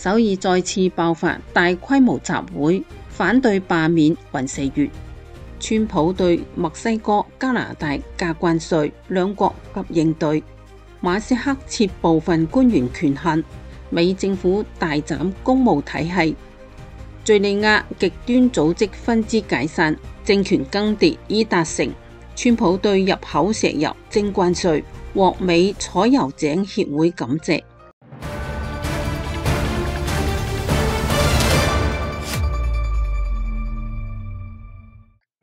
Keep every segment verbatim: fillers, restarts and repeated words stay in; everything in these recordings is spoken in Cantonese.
首爾再次爆發大規模集會，反對罷免尹錫悅。川普對墨西哥、加拿大加關稅，兩國急應對。馬斯克撤部分官員權限，美政府大斬公務體系。敘利亞極端組織分支解散，政權更迭已達成。川普對入口石油徵關稅，獲美採油井協會感謝。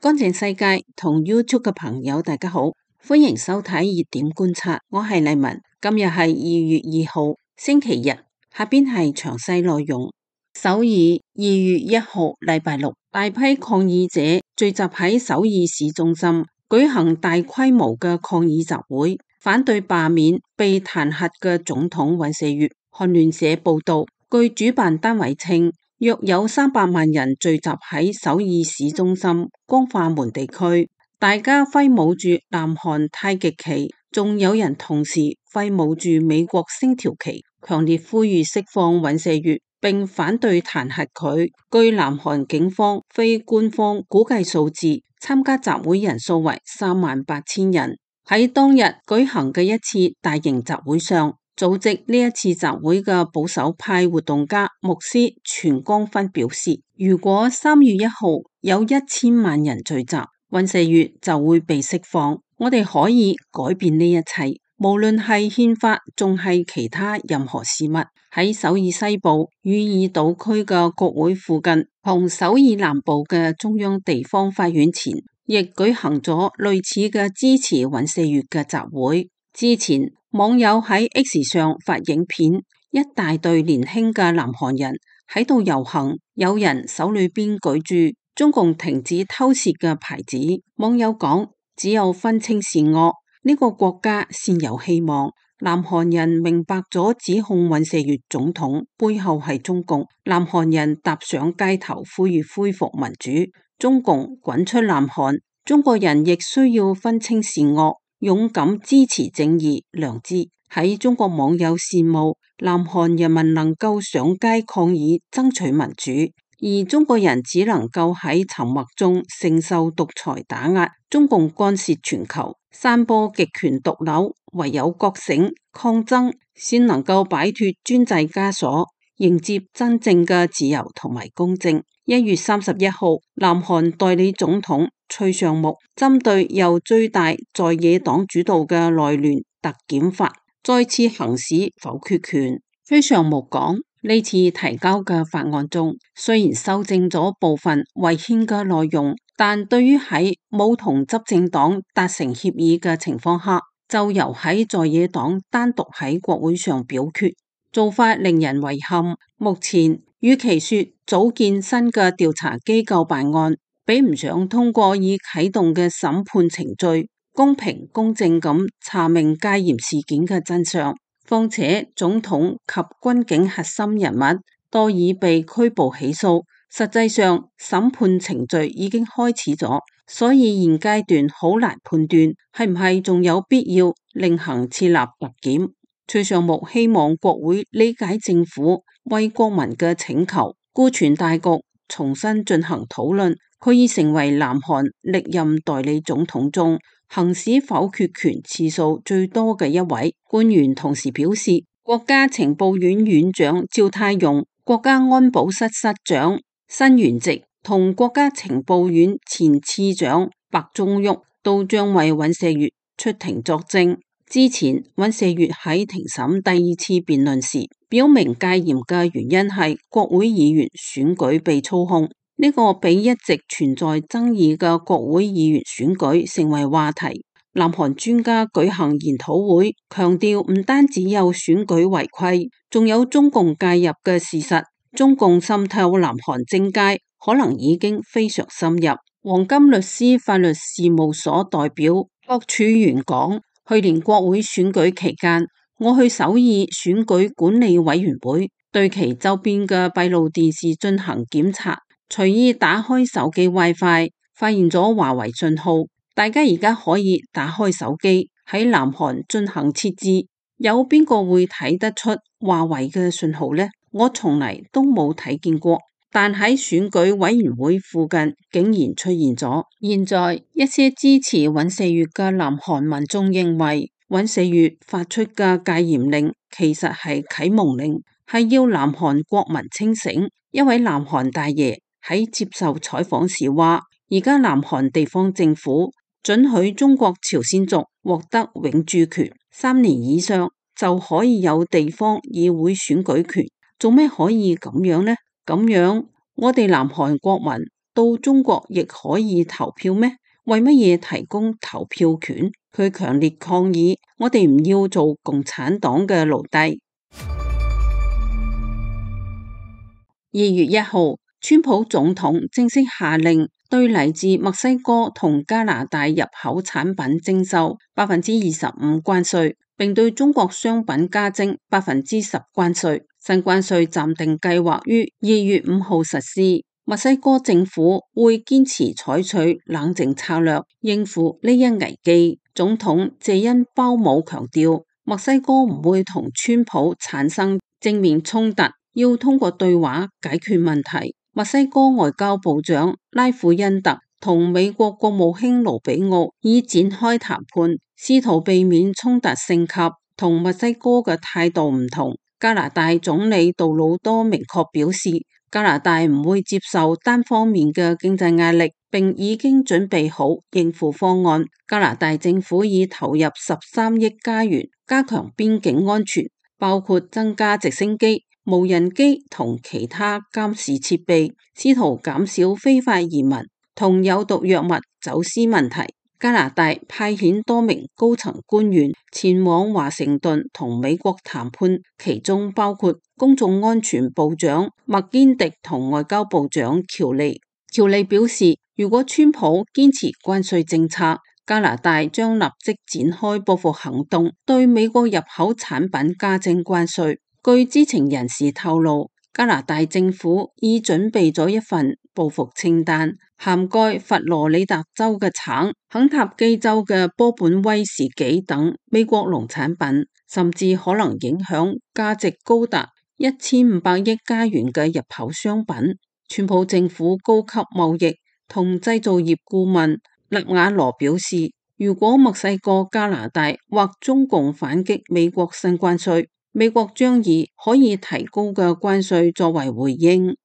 乾淨世界同 YouTube 嘅朋友大家好，歡迎收睇熱點觀察，我係麗文。今日係二月二號星期日，下邊係詳細內容。首爾二月一號禮拜六，大批抗議者聚集喺首爾市中心，舉行大規模嘅抗議集會，反對罷免被彈劾嘅總統尹錫悅。韓聯社報道，據主辦單位稱，約有三百萬人聚集喺首爾市中心光化門地區，大家揮舞住南韓太極旗，仲有人同時揮舞住美國星條旗，強烈呼籲釋放尹錫悅，並反對彈劾佢。據南韓警方非官方估計數字，參加集會人數為三萬八千人。喺當日舉行嘅一次大型集會上，組織呢一次集會嘅保守派活動家牧師全光勳表示，如果三月一號有一千萬人聚集，尹錫悅就會被釋放。我哋可以改變呢一切，無論係憲法仲係其他任何事物。喺首爾西部汝矣島區嘅國會附近，同首爾南部嘅中央地方法院前，亦舉行咗類似嘅支持尹錫悅嘅集會。之前網友喺 X 上發影片，一大隊年輕嘅南韓人喺度遊行，有人手裏邊舉住中共停止偷竊嘅牌子。網友講，只有分清善惡，呢個國家先有希望。南韓人明白咗指控尹錫悅總統背後係中共，南韓人踏上街頭呼籲恢復民主，中共滾出南韓。中國人亦需要分清善惡，勇敢支持正義良知。喺中國網友羨慕南韓人民能夠上街抗議爭取民主，而中國人只能夠喺沉默中承受獨裁打壓，中共干涉全球，散播極權毒瘤。唯有覺醒抗爭，先能夠擺脫專制枷鎖，迎接真正嘅自由同埋公正。一月三十一號，南韓代理總統崔尚木針對由最大在野黨主導嘅內聯特檢法再次行使否決權。崔尚木講，呢次提交嘅法案中，雖然修正咗部分違憲嘅內容，但對於喺冇同執政黨達成協議嘅情況下，就由喺在野黨單獨喺國會上表決，做法令人遺憾。目前與其說組建新嘅調查機構辦案，比唔上通過已啟動嘅審判程序，公平公正咁查明戒嚴事件嘅真相。況且總統及軍警核心人物多已被拘捕起訴，實際上審判程序已經開始咗，所以現階段好難判斷係唔係仲有必要另行設立特檢。崔尚木希望國會理解政府為國民嘅請求，顧全大局，重新進行討論。佢已成為南韓歷任代理總統中行使否決權次數最多嘅一位。官員同時表示，國家情報院院長趙泰容、國家安保室室長申元植同國家情報院前次長白忠旭都將為尹錫悅出庭作證。之前尹錫悅喺庭審第二次辯論時，表明戒嚴嘅原因係國會議員選舉被操控。呢個比一直存在爭議嘅國會議員選舉成為話題。南韓專家舉行研討會，強調唔單止有選舉違規，仲有中共介入嘅事實。中共滲透南韓政界可能已經非常深入。黃金律師法律事務所代表郭柱元講，去年國會選舉期間，我去首爾選舉管理委員會，對其周邊嘅閉路電視進行檢查，隨意打開手機 WiFi， 發現咗華為信號。大家而家可以打開手機喺南韓進行設置，有邊個會睇得出華為嘅信號呢？我從嚟都冇睇見過。但喺選舉委員會附近竟然出現咗。現在一些支持尹錫悅嘅南韓民眾認為，尹錫悅發出嘅戒嚴令其實係啟蒙令，係要南韓國民清醒。一位南韓大爺喺接受採訪時話，而家南韓地方政府准許中國朝鮮族獲得永住權，三年以上就可以有地方議會選舉權。做咩可以咁樣呢？咁樣我哋南韓國民到中國亦可以投票咩？為乜嘢提供投票權？佢強烈抗議，我哋唔要做共產黨嘅奴隸。二月一號，川普總統正式下令對嚟自墨西哥同加拿大入口產品徵收百分之二十五關稅，並對中國商品加徵百分之十關稅。新關稅暫定計劃於二月五號實施。墨西哥政府會堅持採取冷靜策略應付呢一危機。總統謝恩鮑姆強調，墨西哥唔會同川普產生正面衝突，要通過對話解決問題。墨西哥外交部長拉庫恩特同美國國務卿盧比奧已展開談判，試圖避免衝突升級。同墨西哥嘅態度唔同。加拿大總理杜魯多明確表示，加拿大唔會接受單方面嘅經濟壓力，並已經準備好應付方案。加拿大政府已投入十三億加元加強邊境安全，包括增加直升機、無人機同其他監視設備，試圖減少非法移民同有毒藥物走私問題。加拿大派遣多名高層官員前往華盛頓同美國談判，其中包括公眾安全部長麥堅迪同外交部長喬利。喬利表示，如果川普堅持關稅政策，加拿大將立即展開報復行動，對美國入口產品加徵關稅。據知情人士透露，加拿大政府已準備咗一份報復清單，涵蓋佛羅里達州嘅橙、肯塔基州嘅波本威士忌等美國農產品，甚至可能影響價值高達一千五百億加元嘅入口商品。川普政府高級貿易同製造業顧問勒瓦羅表示，如果墨西哥、加拿大或中共反擊美國新關稅，美國將以可以提高嘅關稅作為回應。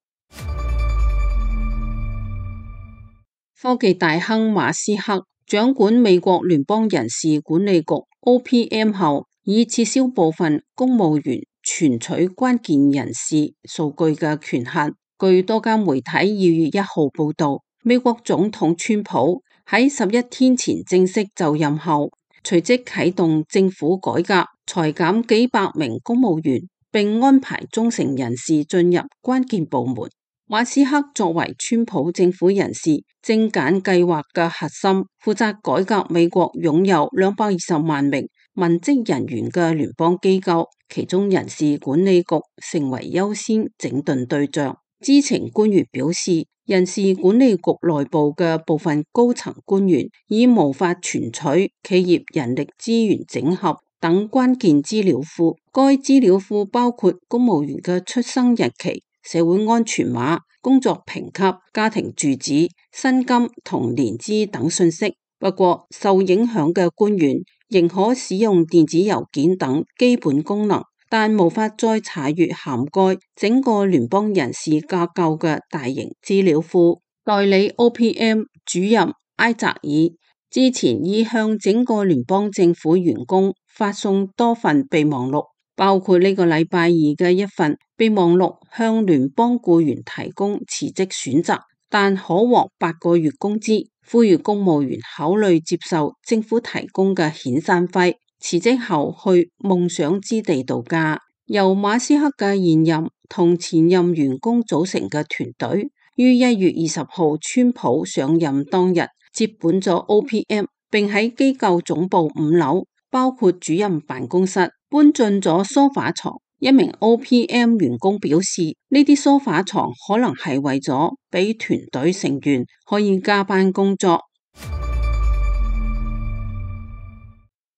科技大亨馬斯克掌管美國聯邦人事管理局 O P M 後，已撤銷部分公務員存取關鍵人事數據嘅權限。據多間媒體二月一號報道，美國總統川普喺十一天前正式就任後，隨即啟動政府改革，裁減幾百名公務員，並安排忠誠人士進入關鍵部門。馬斯克作為川普政府人事精簡計劃嘅核心，負責改革美國擁有兩百二十萬名文職人員嘅聯邦機構，其中人事管理局成為優先整頓對象。知情官員表示，人事管理局內部嘅部分高層官員已無法存取企業人力資源整合等關鍵資料庫，該資料庫包括公務員嘅出生日期、社會安全碼、工作評級、家庭住址、薪金同年資等信息。不過，受影響嘅官員仍可使用電子郵件等基本功能，但無法再查閱涵蓋整個聯邦人事架構嘅大型資料庫。代理 O P M 主任埃澤爾之前已向整個聯邦政府員工發送多份備忘錄，包括呢個禮拜二嘅一份備忘錄，向聯邦僱員提供辭職選擇，但可獲八個月工資，呼籲公務員考慮接受政府提供嘅遣散費，辭職後去夢想之地度假。由馬斯克嘅現任同前任員工組成嘅團隊，於一月二十號川普上任當日接管咗 O P M， 並喺機構總部五樓，包括主任辦公室，搬進咗梳化床。一名 O P M 員工表示，呢啲梳化床可能係為咗俾團隊成員可以加班工作。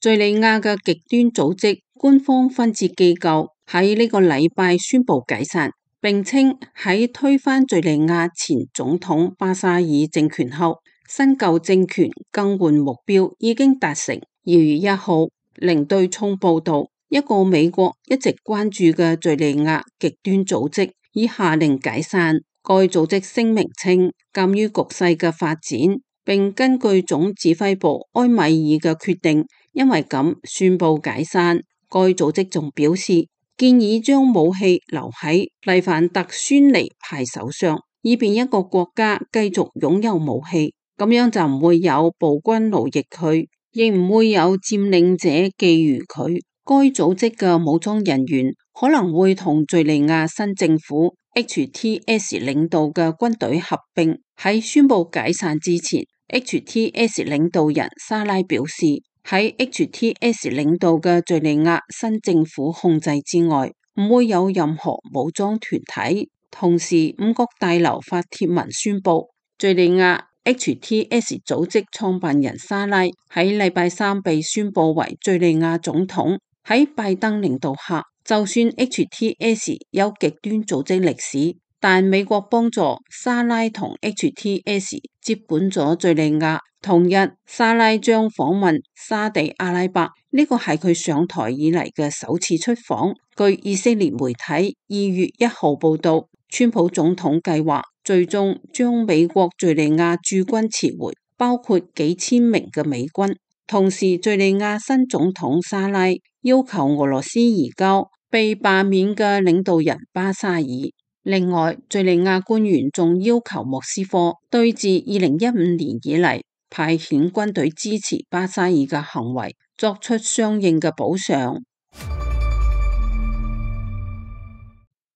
敘利亞嘅極端組織官方分支機構喺呢個禮拜宣布解散，並稱喺推翻敘利亞前總統巴沙爾政權後，新舊政權更換目標已經達成。二月一號，零對沖報道，一個美國一直關注嘅敘利亞極端組織已下令解散。該組織聲明稱，鑒於局勢嘅發展，並根據總指揮部埃米爾嘅決定，因為咁宣布解散。該組織仲表示，建議將武器留喺黎凡特孫尼派手上，以便一個國家繼續擁有武器，咁樣就唔會有暴君奴役佢，亦唔會有佔領者覬覦佢。該組織嘅武裝人員可能會同敘利亞新政府 H T S 領導嘅軍隊合併。喺宣布解散之前， H T S 領導人沙拉表示，喺 H T S 領導嘅敘利亞新政府控制之外，唔會有任何武裝團體。同時，五角大樓發帖文宣布，敘利亞 H T S 組織創辦人沙拉喺禮拜三被宣布為敘利亞總統。喺拜登領導下，就算 H T S 有極端組織歷史，但美國幫助沙拉同 H T S 接管咗敘利亞。同日，沙拉將訪問沙地阿拉伯，呢個係佢上台以嚟嘅首次出訪。據以色列媒體二月一號報道，川普總統計劃最終將美國敘利亞駐軍撤回，包括幾千名嘅美軍。同時，敘利亞新總統沙拉要求俄羅斯移交被罷免嘅領導人巴沙爾。另外，敘利亞官員仲要求莫斯科對自二零一五年以嚟派遣軍隊支持巴沙爾嘅行為作出相應嘅補償。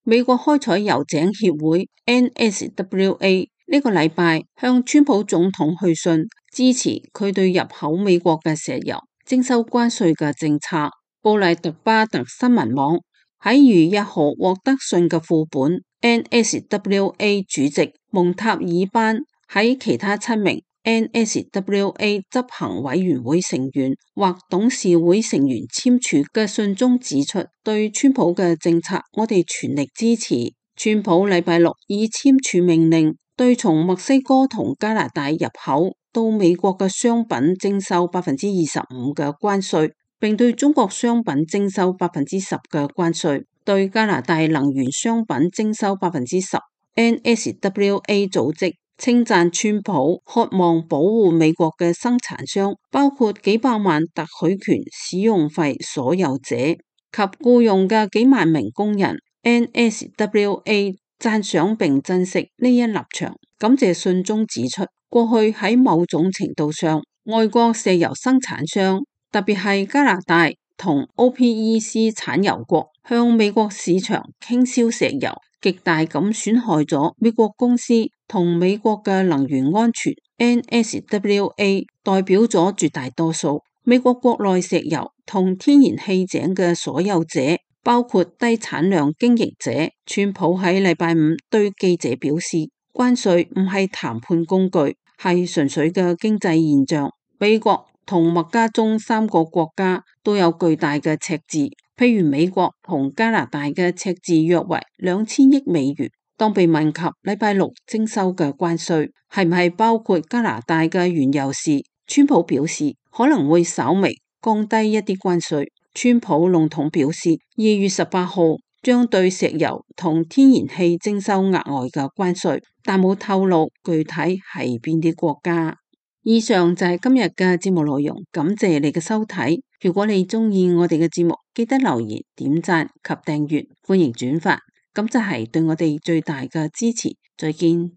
美國開採油井協會 N S W A 呢個禮拜向川普總統去信，支持佢對入口美國嘅石油徵收關稅嘅政策。布萊特巴特新聞網喺二月一號獲得信嘅副本。N S W A 主席蒙塔爾班喺其他七名 N S W A 執行委員會成員或董事會成員簽署嘅信中指出，對川普嘅政策我哋全力支持。川普禮拜六已簽署命令，對從墨西哥同加拿大入口到美國嘅商品徵收百分之二十五嘅關稅，並對中國商品徵收百分之十嘅關稅，對加拿大能源商品徵收百分之十。N S W A 組織稱讚川普渴望保護美國嘅生產商，包括幾百萬特許權使用費所有者及僱用嘅幾萬名工人。N S W A 讚賞並珍惜呢一立場，感謝信中指出，過去喺某種程度上，外國石油生產商，特別係加拿大同 O P E C 產油國，向美國市場傾銷石油，極大咁損害咗美國公司同美國嘅能源安全。N S W A 代表咗絕大多數美國國內石油同天然氣井嘅所有者，包括低產量經營者。川普喺禮拜五對記者表示，關稅唔係談判工具，係純粹嘅經濟現象。美國同麥加中三個國家都有巨大嘅赤字，譬如美國同加拿大嘅赤字約為兩千億美元。當被問及禮拜六徵收嘅關稅係唔係包括加拿大嘅原油時，川普表示可能會稍微降低一啲關稅。川普籠統表示，二月十八號將對石油同天然氣徵收額外嘅關稅，但冇透露具體係邊啲國家。以上就係今日嘅節目內容，感謝你嘅收睇。如果你中意我哋嘅節目，記得留言、點讚及訂閱，歡迎轉發，咁就係對我哋最大嘅支持。再見。